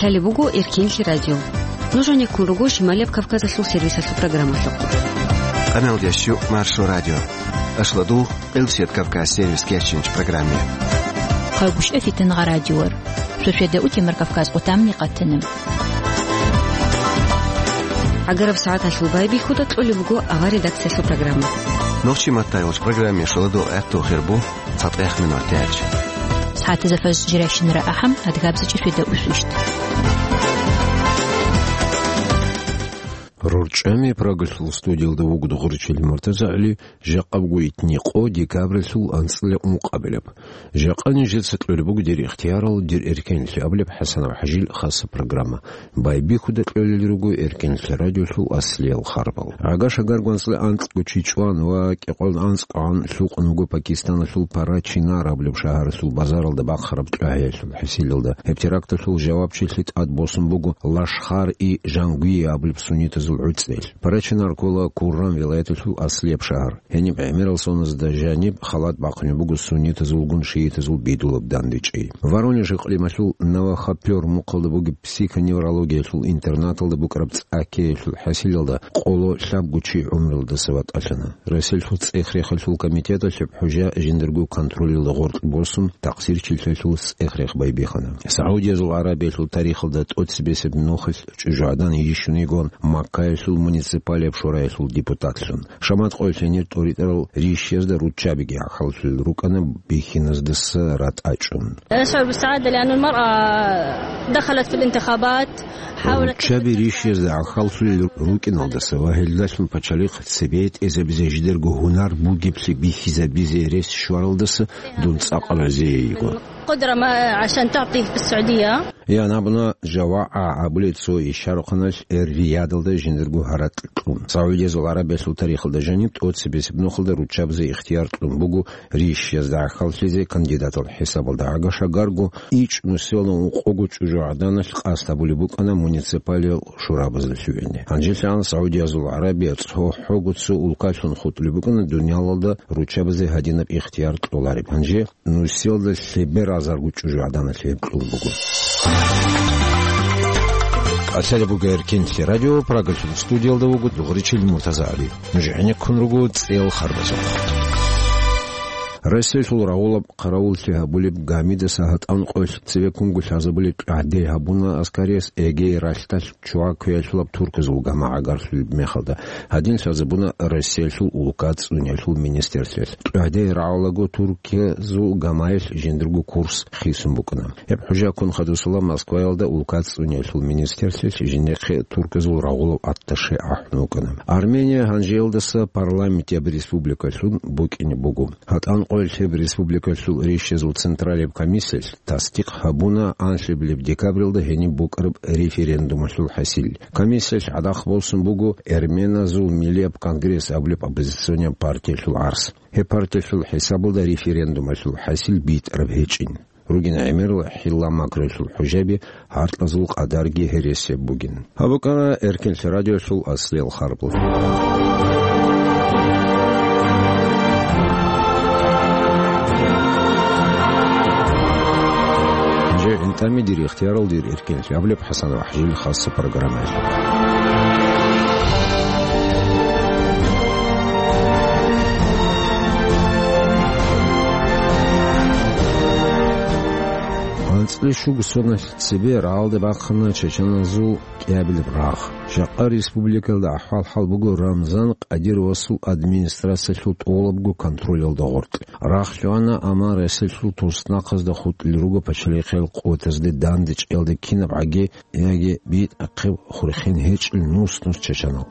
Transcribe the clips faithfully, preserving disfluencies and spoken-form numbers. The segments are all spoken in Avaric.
Лъалеб буго Эркенлъи радио. Нуж гьанеккун руго Шималияб Кавказалъул сервисалъул программалъухъ. Къамел ящу Маршо радио. Ашладу Къилсият Кавказ сервис кечинч программе. Хъагушев Фитнагъа радиор. Шошеда утемар Кавказ къутамни къатана. Агараб сагӀаталъул байбихьуда кьолеб буго авар редакциялъул программа. Нохчи маттайолч программе шаладу гӀатту хирбу. Цадгъех минутач. СагӀатазда фажр жирайщинара ахӀам, адгабзачӀи фида усвищт. РорчӀами Прагалъул студиялда вугода гъурчил муртазагӀли, жакъабгу итни къо декабралъул анцӀила ункъабилеб. Жакъа нижеца кьолеб буго дир ихтиярал, дир эркенлъи абулеб ХӀасанов ХӀажил хаса программа. Байбихьуда кьолел руго Эркенлъи радиолъул аслиял харбал. Агаш-агар гванцӀла анкьго чи чӀван ва кӀикъоялда анцӀгогӀан лъукъун вуго Пакистаналъул Парачинар абулеб шагьаралъул базаралда бахъараб кьогӀиялъул хӀисилалда. Гьеб теракталъул жавабчилъи тӀад босун буго Лашхар-и-Жангуи абулеб суннитазул гӀуцӀел. Парачинар ккола Курран вилаяталъул аслияб шагьар. Гьениб гӀемерал соназда жаниб халат бахъунеб буго суннитазулгун шиитазул бидулаб дандечӀи. Воронеж икълималъул Новохопёр мухъалда бугеб психоневрологиялъул интернаталда букӀараб цӀакеялъул хӀасилалда къоло лъабго чи гӀумрулдаса ватӀалъана. Россиялъул цӀех-рехалъул комитеталъ гьеб хӀужа жиндирго контролилда гъоркь босун, такъсирчилъалъул цӀех-рех байбихьана. Саудиязул ГӀарабиялъул тарихалда тӀоцебесеб нухалъ чӀужугӀадан йищун йигон Маккаялъул муниципалияб шораялъул депутатлъун. Шамат къоялъ гьенир тӀоритӀарал рищиязда руччабиги гӀахьаллъулел рукӀана бихьиназдаса ратӀа чӀун. أشعر بالسعادة لأن المرأة دخلت في الانتخابات، حاولت. Руччаби рищиязда гӀахьаллъулел рукӀиналдаса ва гьелдалъун пачалихъ цебетӀезабизе жидерго гьунар бугеблъи бихьизабизе рес щваралдаса дун цӀакъ разие йиго. قدرة ما عشان تعطيه في السعودية. Ян абуна, жавагӀа абулеб цо ишарухъаналъ Эр-Риядалда жиндирго гьаракь кьун. Саудиязул ГӀарабиялъул тарихалда жаниб тӀоцебесеб нухалда руччабазе ихтияр кьун буго рищиязда гӀахьаллъизе кандидатал хӀисабалда. Агаш-агарго ичӀ нусиялда ункъого чӀужугӀаданалъ къасд гьабулеб букӀана муниципалиял шурабазда лъугӀине. Гьанжелъан Саудиязул ГӀарабия цо-, цохӀого цо улкалъун хутӀулеб букӀана дуниялалда руччабазе гьадинаб ихтияр кьолареб. Гьанже нусиялда лъеберазарго чӀужугӀаданалъ гьеб кьун буго. Лъалеб буго Эркенлъи радио, Прагалъул студиялда вуго дугъричил МуртазагӀли. Нуж гӀенеккун руго цӀел харбазухъ. Россиялъул рагъулаб къаравуллъи гьабулеб гамидаса гьатӀан къоялъ цевеккунго лъазабулеб гӀадин гьабуна аскарияс Эгей ралъдалъ чугӀа квеялъулаб турказул гама гӀагарлъулеб мехалда. Гьадин лъазабуна Россиялъул улка цӀуниялъул министрлъиялъ. ТӀугӀдай рагӀулаго турказул гамаялъ жиндирго курс хисун букӀана. Гьеб хӀужа ккун хадусала Москваялда улка цӀуниялъул министрлъиялъ жинехъе турказул рагъулав атташе ахӀун вукӀана. Армения гьанжеялдаса парламентияб республикалъун букӀине буго. ГьатӀан къоялъ гьеб республикалъул рищазул централияб комиссиялъ тасдикъ гьабуна анлъабилеб декабралда гьениб букӀараб референдумалъул хӀасил. Комиссиялъ гӀадахъ босун буго Эрменазул миллияб конгресс абулеб оппозиционияб партиялъул гӀарс. Гьеб партиялъул хӀисабалда референдумалъул хӀасил битӀараб гьечӀин. Ругин гӀемерал хӀилла-макруялъул хӀужаби гьаркьазул къадарги гьересияб бугин. Гьаб букӀана Эркенлъи радиолъул аслиял харбал. Жо интӀами дир ихтиярал дир Эркенлъи абулеб ХӀасан ва ХӀажил хасса программаялъ. АнцӀила щуго соналъ цебе рагӀалде бахъана чачаназул кӀиабилеб рагъ. Жакъа республикалда ахӀвал-хӀал буго Рамзан Къадировасул администрациялъул тӀолабго контролалда гъоркь. Рагъ лъугьана, амма Россиялъул туснахъазда хутӀулел руго пачалихъиял къотазде дандечӀиялда кинаб гӀаги яги битӀахъе хурхен гьечӀел нус-нус чачанал.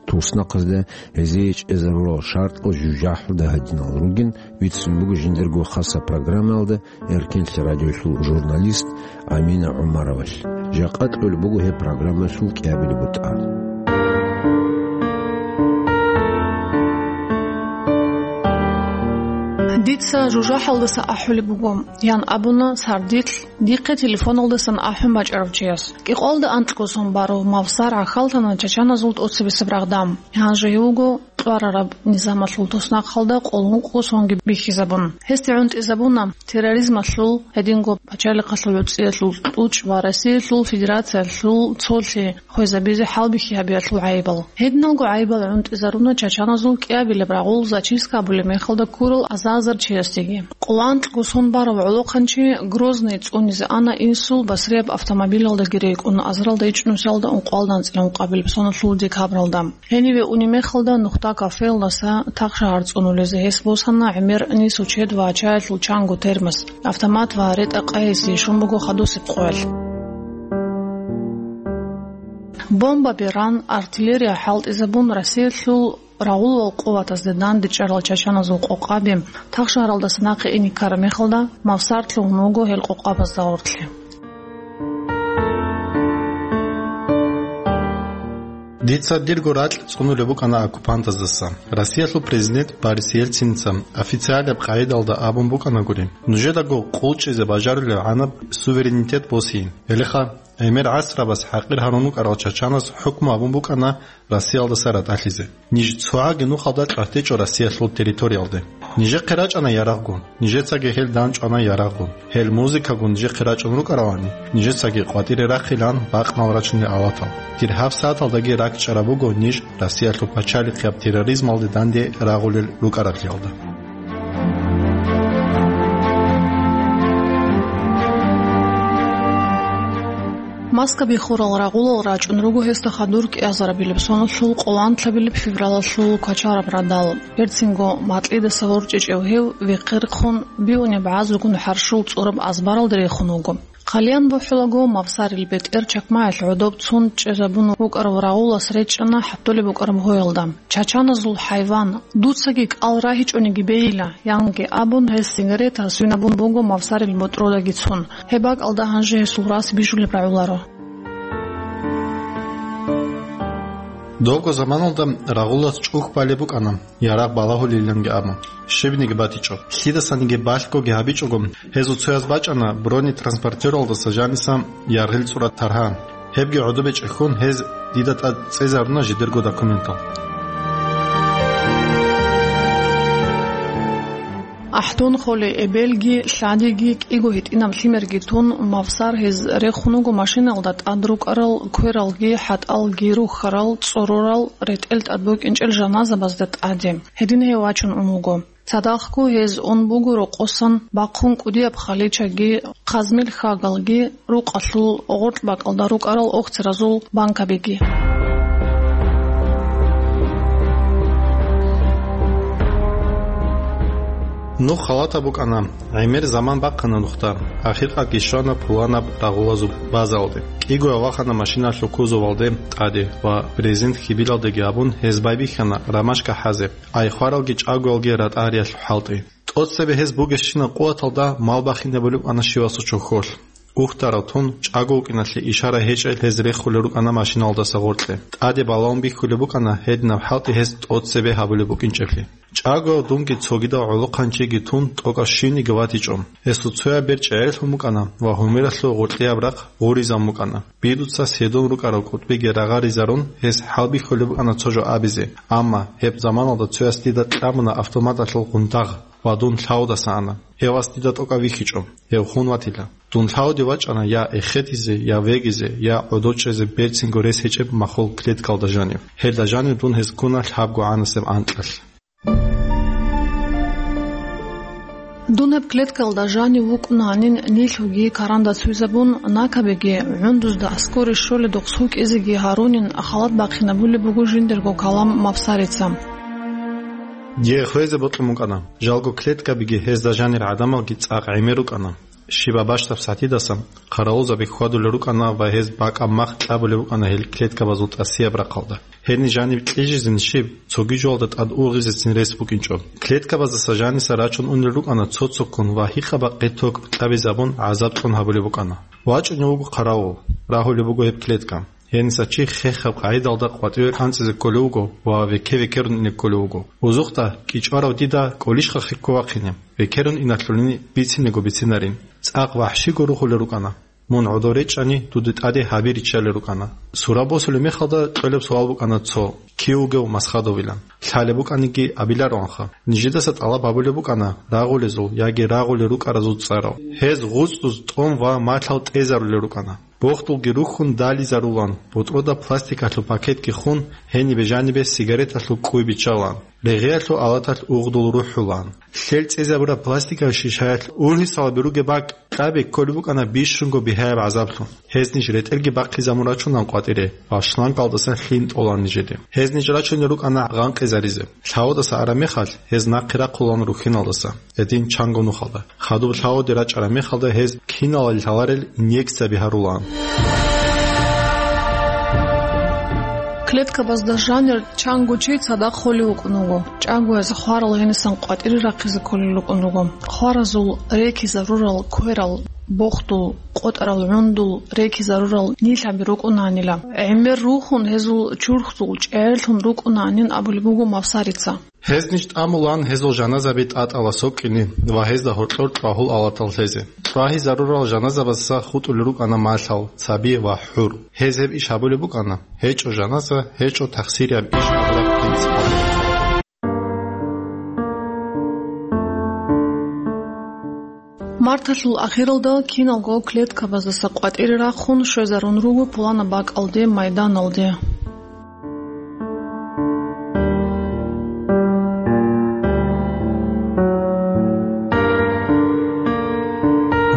Туснахъазда гьезие чӀезарурал шартӀал жужахӀалда гьадинал ругин, бицун буго жиндирго хасса программаялда Эркенлъи радиолъул журналист Амина ГӀумаровалъ. Жакъа кьолеб буго гьеб программаялъул кӀиабилеб бутӀа. Дица жужахӀалдаса ахӀулеб буго, ян абуна сардилъ дихъе телефоналдасан ахӀун бачӀарав чияс. КӀикъоялда анкьго сон барав мавсар гӀахьаллъана чачаназул тӀоцебесеб рагъда. Гьанже гьев вуго кьварараб низамалъул туснахъалда къоло ункъго сонги бихьизабун. Гьесде гӀунтӀизабуна терроризмалъул, гьединго пачалихъалъул гӀуцӀиялъул тӀучӀ ва Россиялъул Федерациялъул цолъи хвезабизе хӀалбихьи гьабиялъул гӀайибал. Гьединалго гӀайибал гӀунтӀизаруна чачаназул кӀиабилеб рагъул зачистка абулеб мехалда ккурал азар-азар чиясдеги. Къоло анкьго сон барав гӀолохъанчи Грозный цӀунизе ана инсул басрияб автомобилалдаги рекӀун, азаралда ичӀнусиялда ункъоялда анцӀила ункъабилеб соналъул декабралда. Гьениве унеб мехалда нухда кафеялдаса Тахшагьар цӀунулезе гьес босана гӀемер нису чед ва чаялъул чанго термос, автомат ва ретӀа-къайизе щун буго хадусеб къоялъ. Бомба беран, артиллерия хӀалтӀизабун, Россиялъул рагъулал къуватазде дандечӀарал чачаназул къокъаби Тахшагьаралдаса нахъе ине ккараб мехалда, Мавсар лъугьун вуго гьел къокъабазда гъоркье. Дица дирго ракь цӀунулеб букӀана оккупантаздаса. Россиялъул президент Борис Ельциница официалаб къагӀидалда абун букӀанагури: «Нужедаго къулчӀизе бажарулеб гӀанаб суверенитет босейин. Гьелеха, гӀемер гӀасрабаз хӀакъир гьарун вукӀарал чачаназ хӀукму гьабун букӀана Россиялдаса ратӀалъизе. Ниж цогӀаги нухалда кьватичӀо Россиялъул территориялде. Нижехъе рачӀана ярагъгун, нижецаги гьел данчӀвана ярагъгун. Гьел музыкагун нижехъе рачӀун рукӀаравани, нижецаги къватӀире рахъилан бакънал рачунел аватал. Дир гьаб сагӀаталдаги ракӀчӀараб буго ниж Россиялъул пачалихъияб терроризмалде данде рагъулел рукӀараблъиялда». Маскаби хурал рагъулал рачӀун руго гьесда хадур кӀиазарабилеб соналъул къоло анлъабилеб февралалъул квачараб радал. Берцинго макьидаса ворчӀичӀев гьев вехъерхъун бигьунеб базугун хӀарщул цӀураб азбаралда рехун вуго. Хъалиян бухӀулаго, Мавсарил бетӀер чакмаялъ гӀодоб цун чӀезабун вукӀарав рагъулас речӀчӀана хӀатулеб букӀараб гьоялда. «Чачаназул хӀайван, дуцаги кӀал рагьичӀониги бейила», — янги абун, гьес сигарета свинабун буго Мавсарил ботӀродаги цун. Гьеб бакӀалда гьанже гьесул рас бижулеб рагӀуларо. Добго заманалда рагъулас чӀухь балеб букӀана, ярагъ балагьулиланги абун. Щибниги батичӀо. Лъидасаниги балъгоги гьабичӀого, гьезул цояз бачӀана бронетранспортералдаса жаниса яргъил цӀураб таргьан. Гьебги гӀодобе чӀехьон, гьез дида тӀад цӀезаруна жидерго документал. АхӀдон холей эбелги, лъадиги, кӀиго гьитӀинаб лъимерги тун, Мавсар гьез рехун вуго машиналда тӀад рукӀарал квералги, хӀатӀалги, рухьарал, цӀорорал, ретӀел тӀад букӀинчӀел жаназабазда тӀаде. Гьедин гьев вачун ун вуго. Цадахъго гьез ун буго рокъосан бахъун кӀудияб халичаги, хъазмил хьагалги, рукъалъул гъоркь бакӀалда рукӀарал охцеразул банкабиги. Нух халатаб букӀана, гӀемер заман бахъана нухда, ахиркъалги щвана пуланаб рагъулазул базаялде. КӀиго вахана машиналъул кузовалде тӀаде ва брезент хьибилалдеги абун, гьез байбихьана ромашка хӀазе. Ай хваралги чӀагоялги ратӀа гьариялъул хӀалтӀи. ТӀоцебе гьез бугебщинаб къуваталда мал бахинабулеб букӀана щивасул чохьолъ. Ухтарал тун, чӀаго вукӀиналъе ишара гьечӀел гьез рехулел рукӀана машиналдаса гъоркье. ТӀаде балагьун бихьулеб букӀана гьединаб хӀалтӀи гьез тӀоцебе гьабулеб букӀинчӀеблъи. ЧӀаго дунги цогидал гӀолохъанчиги тун тӀокӀав щивниги ватичӀо. Гьесул цояб бер чӀегӀерлъун букӀана ва гьумералъул гъоркьияб рахъ гъуризабун букӀана. Бидуца седун рукӀарал кӀутӀбиги рагъаризарун, гьес хӀалбихьулеб букӀана цо жо абизе, амма гьеб заманалда цояс дида кьабуна автоматалъул гъунтагъ ва дун лъавудаса ана. Гьев вас дида тӀокӀав вихьичӀо, гьев хун ватила. Дун лъавуде вачӀана я эхетизе, я вегизе, я гӀодов чӀезе берцинго рес гьечӀеб махул клеткалда жанив. Гьелда жанив дун гьез ккуна лъабго гӀанасеб анкьалъ. Дун гьеб клеткалда жанив вукӀун гьанин нилъуги каранда цуйзабун, накабиги гӀундузда аскоре щоледухъ сукӀизеги гьарунин халат бахъинабулеб буго жиндирго калам Мавсарица. Дие хвезе бокьун букӀана, жалго клеткабиги гьезда жанир гӀадамалги цӀакъ гӀемер рукӀана. Щибаб бащдаб сагӀатидасан хъаравулзаби хьвадулел рукӀана ва гьез бакӀаб мах кьабулеб букӀана гьел клеткабазул тӀасияб рахъалда. Гьениб жаниб кьижизин щиб, цоги жоялда тӀад угъизецин рес букӀинчӀо. Клеткабаздаса жаниса рачун унел рукӀана цо-цоккун ва гьикъа-бакъи ток кьабизабун гӀазаб кьун гьабулеб букӀана. ВачӀунев вуго хъаравул, рагьулеб буго гьеб клетка. Гьениса чи хехаб къагӀидалда къватӀиве анцӀизе кколев вуго ва векке-векерун ине кколев вуго. Узухъда кӀичӀварав дида кӀолищха хехго вахъине, векерун иналъулин бицинего бицинарин. ЦӀакъ вахӀщиго рухулел рукӀана. Мун гӀодов речӀчӀани, дуда тӀаде гьаби риччалел рукӀана. Сура босулеб мехалда кьолеб суал букӀана цо: «Кив вугев Масхадовилан?» Лъалеб букӀаниги абилароанха. Нижедаса тӀалаб гьабулеб букӀана рагъулезул яги рагъулел рукӀаразул цӀарал. Гьез гъуцӀуз тӀом ва малъал тӀезарулел рукӀана. Бохдулги рухьун дализарулан, бутӀрода пластикалъул пакетги хун, гьенибе-жанибе сигареталъул кӀуй биччалан, регъиялъул алаталъ угъдул рухӀулан. Лъел цӀезабураб пластикал шишаялъ ургьисалаби ругеб бакӀ кьаби кколеб букӀана бищунго бигьаяб гӀазаблъун. Гьез ниж ретӀелги бахъизабун рачунан къватӀире ва шлангалдаса лъим тӀолан нижеде. Гьез ниж рачунел рукӀана гъанкъизаризе. Лъавудаса араб мехалъ, гьез нахъе рахъулан рухьиналдаса, гьедин чанго нухалда. Хадуб лъавуде рачӀараб мехалда гьез киналал лъаларел инъекцияби гьарулаан. Клеткабазда жанир чанго чи цадахъ холев вукӀун вуго. ЧӀаго гьез хварал гьенисан къватӀире рахъизе кколел рукӀун руго. Хваразул рекизарурал кверал, бохдул, къотӀарал гӀундул рекизарурал нилъаби рукӀунаанила. ГӀемер рухун гьезул чурхдул чӀегӀерлъун рукӀунаанин абулеб буго Мавсарица. Гьез ниж тӀамулан гьезул жаназаби тӀатӀала сокӀкӀине ва гьезда гьоркьор чӀвагьул алатал лъезе. ЧӀвагьизарурал жаназабазда хутӀулел рукӀана малъал, цаби ва хӀур. Гьез гьеб иш гьабулеб букӀана: гьечӀо жаназа, гьечӀо тахсирияб иш абураб принцип. Марталъул ахиралда киналго клеткабаздаса къватӀире рахъун щвезарун руго пуланаб бакӀалде, майданалде.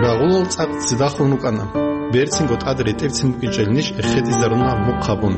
Рагъулал цӀакъ цидахун рукӀана. Берцинго тӀад ретӀерцин букӀинчӀел ниж эхетӀизаруна мухъ гьабун.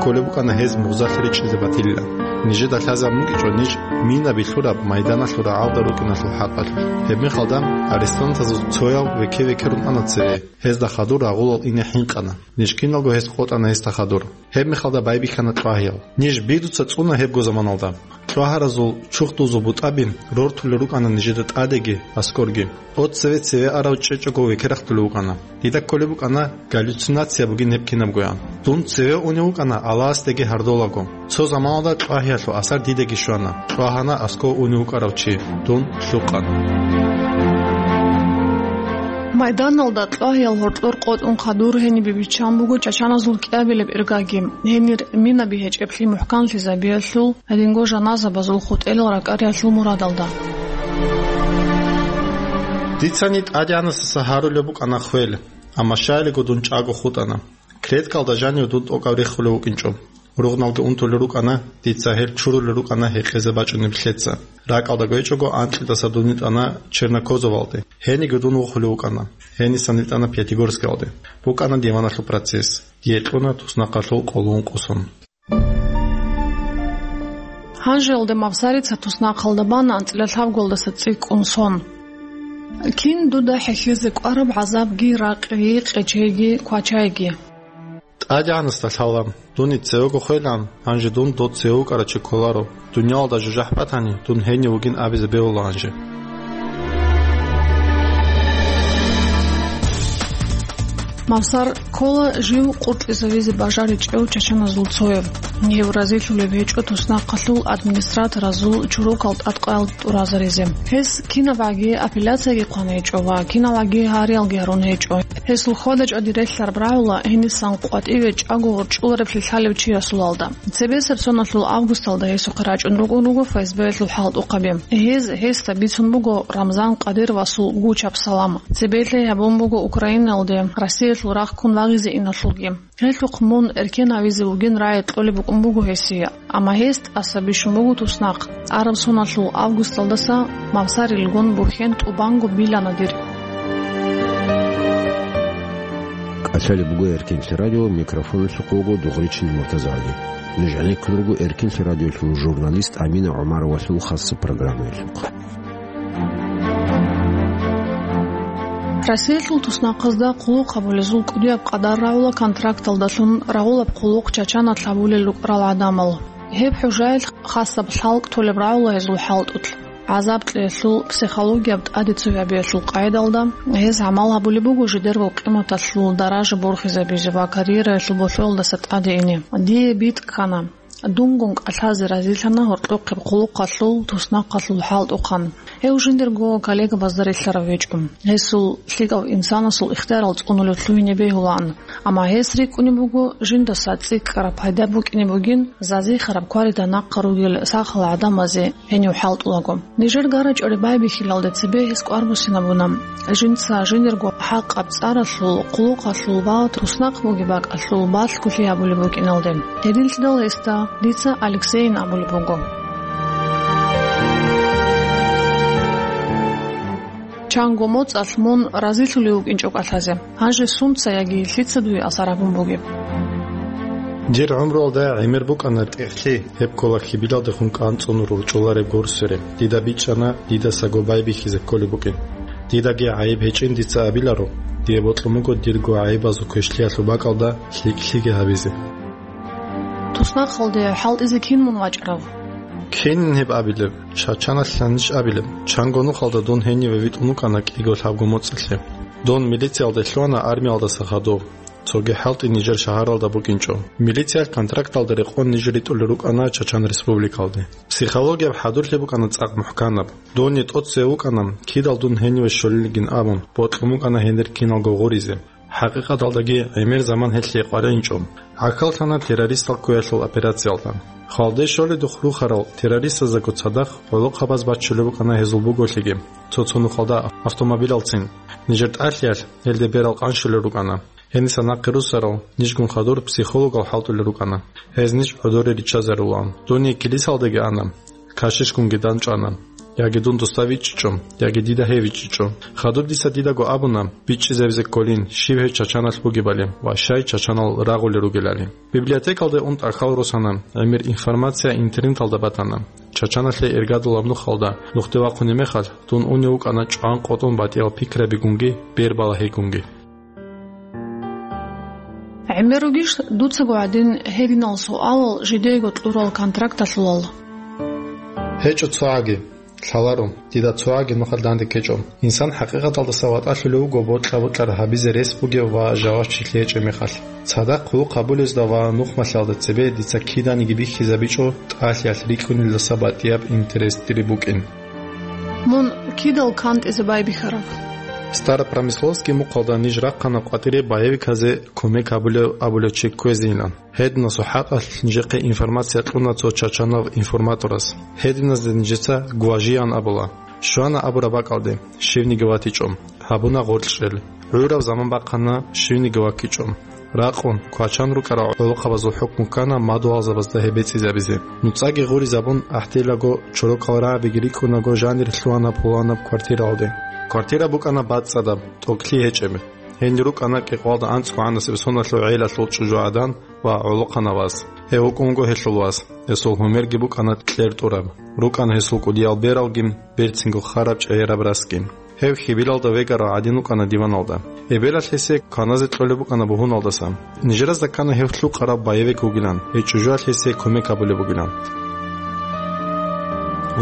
Кколеб букӀана гьез мугъзалъ речӀчӀизе батилилан. Нижеда лъазабун букӀинчӀо ниж минаби лъураб майданалъул рагӀалда рукӀиналъул хӀакъалъулъ. Гьебмехалда арестантазул цоял веке-векерун ана цеве. Гьезда хадур рагъулал ине хӀинкъана. Ниж киналго гьез къотӀана гьесда хадур. Гьебмехалда байбихьана кьвагьиял. Ниж бидуца цӀуна гьебго заманалда. Кьвагьаразул чурхдузул бутӀаби рортулел рукӀана нижеда тӀадеги, аскӀорги. О, цеве-цеве арав чӀечӀого векерахъулев вукӀана. Дида кколеб букӀана галлюцинация бугин гьеб кинабгоян. Дун цеве унев вукӀана Аллагьасдаги гьардолаго. Цо заманалда кьвагьиялъул асар дидаги щвана. Кьвагьана аскӀов унев вукӀарав чи. Дун лъукъана. Майданалда кьвагьиял гьоркьор къотӀун хадур гьенибе биччан буго чачаназул кӀиабилеб иргаги. Гьенир минаби гьечӀеблъи мухӀканлъизабиялъул, гьединго жаназабазул хутӀелал ракӀариялъул мурадалда. Дицани ТӀадегӀанасдаса гьарулеб букӀана хвел, амма щайилго дун чӀаго хутӀана. Клеткалда жанив дун тӀокӀав рехулев вукӀинчӀо. Ругъналги унтулел рукӀана, дица гьел чурулел рукӀана гьекъезе бачӀунеб лъеца. РакӀалда гьечӀого анкьидаса дун витӀана Чернокозовалде. Гьениги дун вохулев вукӀана. Гьенисан витӀана Пятигорскалде. БукӀана диваналъул процесс. Дие кьуна туснахъалъул къоло ункъо сон. Гьанжеялде Мавсарица туснахъалда бана анцӀила лъабголдаса цӀикӀкӀун сон. Кин дуда хӀехьезе кӀвараб гӀазабги, ракъги, къечейги, квачайги? ТӀадегӀанасда лъала, дун цевего хвелан, гьанже дун дов цеве вукӀарав чи кколаро. Дуниялалда жужахӀ батани, дун гьенив вугин абизе бегьула гьанже. Мавсар ккола жив къуркьизавизе бажаричӀев чачаназул цояв. Гьев разилъулеб гьечӀо туснахъалъул администраторазул чурукал тӀадкъаял тӀуразаризе. Гьес кинабгӀаги апелляцияги хъван гьечӀо ва киналгӀаги гьариялги гьарун гьечӀо. Гьесул хьвада-чӀвади релълъараб рагӀула гьенисан къватӀиве чӀаго ворчӀулареблъи лъалев чиясулалда. Цебесеб соналъул августалда гьесухъе рачӀун рукӀун руго ФСБ-ялъул хӀалтӀухъаби. Гьез гьесда бицун буго Рамзан Кадыровасул гучаб салам. Цебе лъай гьабун буго Украинаялде Россиялъул рахъ ккун вагъизе иналъулги. Гьелъухъ мун эркенавизе вугин рагӀи кьолеб букӀун буго гьесие, амма гьес тӀаса бищун буго туснахъ. Араб соналъул августалдаса Мавсарилгун бухьен тӀубанго билана дир. КӀалъалеб буго Эркинлъи радио, микрофоналъухъ вуго Дугъричин МуртазагӀли. Нуж гӀенеккун руго Эркинлъи радиолъул журналист Амина ГӀумаровалъул хасаб программаялъухъ. Россиялъул туснахъазда хъулухъ гьабулезул кӀудияб къадар рагӀула контракталдалъун рагъулаб хъулухъ чачана лъабулел рукӀарал гӀадамал. Гьеб хӀужаялъ хасаб лъалкӀ толеб рагӀула гьезул хӀалтӀулъ. ГӀазаб-кьеялъул психологияб тӀаде цоябиялъул къайдалда гьез гӀамал гьабулеб буго жидерго къиматалъул даража борхизабизе ва карьераялъул болъоялдаса тӀаде ине. Дие битӀ ккана. Дунгун кӀалъазе разилъана гьоркьохъеб хъулухъалъул, туснахъалъул хӀалтӀухъан. Гьев жиндирго коллегабазда релълъарав гьечӀо. Гьесул лъикӀав инсанасул ихтиярал цӀунулев лъугьине бегьулаан. Амма гьес рикӀкӀунеб буго, жиндаса цӀикӀкӀараб пайда букӀине бугин, зазихъараб кварида нахъа ругел сахал гӀадамазе гьенив хӀалтӀулаго. Нижер гарачӀоре байбихьилалде цебе гьес кӀвар буссинабуна, жинца жиндирго хӀакъаб цӀаралъул, хъулухъалъул ва туснахъ бугеб бакӀалъул балъголъи гьабулеб букӀиналде. Гьединлъидал гьесда дица Алексейин абулеб буго. Чанго моцӀалъ мун разилъулев вукӀинчӀо кӀалъазе. Гьанже сунца яги лъица дуе асар гьабун бугеб? Дир гӀумруялда гӀемер букӀана тӀехълъи, гьеб ккола хьибилалдехун кӀанцӀун рорчӀулареб горсуре. Дида бичӀчӀана, дидасаго байбихьизе кколеб букӀин. Дидаги гӀайиб гьечӀин дица абиларо, дие бокьун буго дирго гӀайибазул квешлъиялъул бакӀалда лъикӀлъиги гьабизе. Туснахъалде хӀалтӀизе кин мун вачӀарав? Кинин гьеб абилеб? Чачаналъ ниж абилеб? Чанго нухалда дун гьениве витӀун вукӀана кӀиго лъабго моцӀалъе. Дун милициялде лъугьана армиялдаса хадув. Цоги хӀалтӀи нижер шагьаралда букӀинчӀо. Милициялъ контракталда рекъон ниж ритӀулел рукӀана Чачан Республикалде. Психологияб хӀадурлъи букӀана цӀакъ мухӀканаб. Дун тӀоцеве вукӀана, кидал дун гьениве щолилгин абун, бокьун букӀана гьенир киналго гъуризе. ХӀакъикъаталдаги гӀемер заман гьелъие къваригӀинчӀо. ГӀахьаллъана террористал кквеялъул операциялда. Хвалде щоледухъ рухарал террористаздаго цадахъ гӀолохъабаз баччулеб букӀана гьезул буголъиги, цо-цо нухалда автомобилалцин. Нижер тӀалъиялъ гьелде берал къанщулел рукӀана. Гьениса нахъе руссарал нижгун хадур психологал хӀалтӀулел рукӀана, гьез ниж гӀодоре риччазарулаан. Дун килисалдаги ана, кашишгунги данчӀвана, яги дун досда вичӀчӀичӀо, яги дида гьев вичӀчӀичӀо. Хадуб дица дидаго абуна бичӀчӀизабизе кколин, щиб гьев Чачаналъ бугебали ва щай чачанал рагъулел ругелали. Библиотекалде ун тӀахьал росана, гӀемер информация интернеталда батана. Чачаналъе иргадулаб нухалда нухде вахъунеб мехалъ, дун унев вукӀана чӀван-къотӀун батӀиял пикрабигунги бербалагьигунги. ГӀемер ругищ дуцаго гӀадин гьединал суалал жидеего кьурал контракталъулал? ГьечӀо цогӀаги. Лъаларо, дида цогӀаги нухалъ данде ккечӀо. Инсан хӀакъикъаталдаса ватӀалъулев вуго бокьа-бокьараб гьабизе рес бугев ва жавабчилъи гьечӀеб мехалъ. Цадахъ хъулухъ гьабулезда ва нухмалъиялда цебе дица киданиги бихьизабичӀо тӀалъиялъ рикӀкӀунелдаса батӀияб интерес дире букӀин. Мун кидал кантӀизе байбихьараб? Старопромысловский мухъалда ниж рахъана къватӀире боевиказе кумек гьабулев абулев чи кквезейилан. Гьединасул хӀакъалъулъ нижехъе информация кьуна цо чачанав информаторас. Гьединазда нижеца гважиян абула. Щвана абураб бакӀалде, щивниги ватичӀо. Гьабуна гъоркьчӀел. ГӀураб заман бахъана, щивниги ваккичӀо. Ракъун, квачан рукӀарал гӀолохъабазул хӀукму ккана мадугьалзабазда гьеб бецӀизабизе. НуцӀаги гъуризабун, гӀахьделаго, чорокал рагӀабиги рикӀкӀунаго жанир лъугьана пуланаб квартиралде. Квартира букӀана бацӀцӀадаб, тӀокӀлъи гьечӀеб. Гьенир рукӀана кӀикъоялда анцӀго гӀанасеб соналъул гӀелалъул чӀужугӀадан ва гӀолохъанав вас. Гьев вукӀун вуго гьелъул вас. Гьесул гьумерги букӀана кьертӀураб. РукӀана гьесул кӀудиял бералги, берцинго хараб чӀегӀераб расги. Гьев хьибилалда вегарав гӀадин вукӀана диваналда. Эбелалъ гьесие кваназе кьолеб букӀана бугьуналдаса. Нижеразда ккана гьев лъукъараб боевик вугилан, гьев чӀужуялъ гьесие кумек гьабулеб бугилан.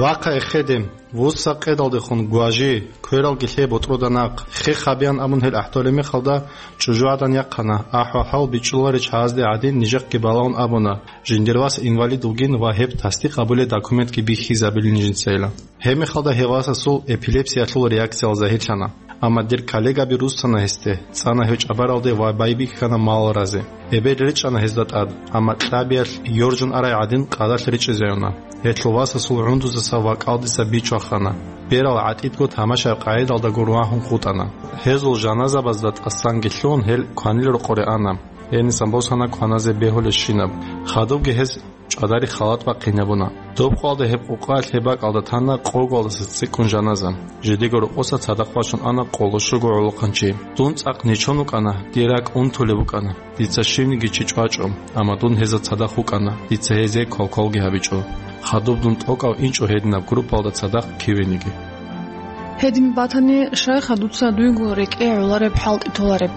Вахъа эхеде, вуссакъедалдехун гважи, квералги лъе ботӀрода нахъ, хех гьабеян абун гьел ахӀдолеб мехалда, чӀужугӀадан яхъана, ахӀвал-хӀал бичӀчӀуларел чагӀазде гӀадин нижехъги балагьун абуна, жиндир вас инвалид вугин ва гьеб тасдикъ гьабулеб документги бихьизабилин жинцайилан. Гьеб мехалда гьев васасул эпилепсиялъул реакциялда загьирлъана. Амма дир коллегаби руссана гьесде, цӀана гьев чӀабаралде ва байбихьана малал разе. Эбел речӀчӀана гьезда тӀад, амма кьабиялъ йоржун арай гӀадин къадалъ речӀчӀизаюна. Гьелъул васасул гӀундузаса ва кӀалдиса бичвахана. Берал гӀатӀидго тамашаяб къагӀидалдаго рвагьун хутӀана. Гьезул жаназабазда тӀасанги лъугьун гьел кванил рокъоре ана. Гьенисан босана кваназе бегьулебщинаб. Хадубги гьез чӀадари халат бахъинабуна. Доб къоялда гьеб къукъаялъ гьеб бакӀалда тана къоголдаса цӀикӀкӀун жаназа. Жидего рокъоса цадахъ бачун ана къоло щуго гӀолохъанчи. Дун цӀакъ нечон вукӀана, дир ракӀ унтулеб букӀана. Дица щивниги чи чӀвачӀо, амма дун гьезда цадахъ вукӀана, дица гьезие квалквалги гьабичӀо. Хадуб дун тӀокӀав инчӀо гьединаб группаялда цадахъ кивениги. Гьедин батани, щайха дуца дуйго рекӀее гӀолареб хӀалтӀи толареб?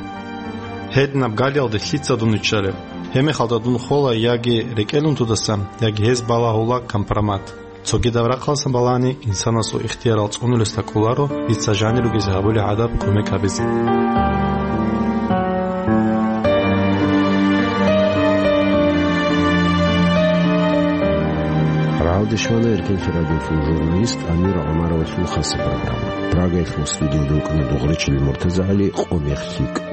Гьединаб галиялде лъица дун виччареб? Гьебмехалда дун хола яги рекӀелун дудасан, яги гьез балагьула компромат. Цогидаб рахъалдасан балагьани, инсанасул ихтиярал цӀунулесда кӀоларо дица жанир ругезе гьабулеб гӀадаб кумек гьабизе. Дешмана эркенлъи радиолъул журналист Амир ГӀумаровалъул хаса программа. Прагаялъул студиялда вукӀана дугъричил МуртазагӀали, къо мех лъикӀ.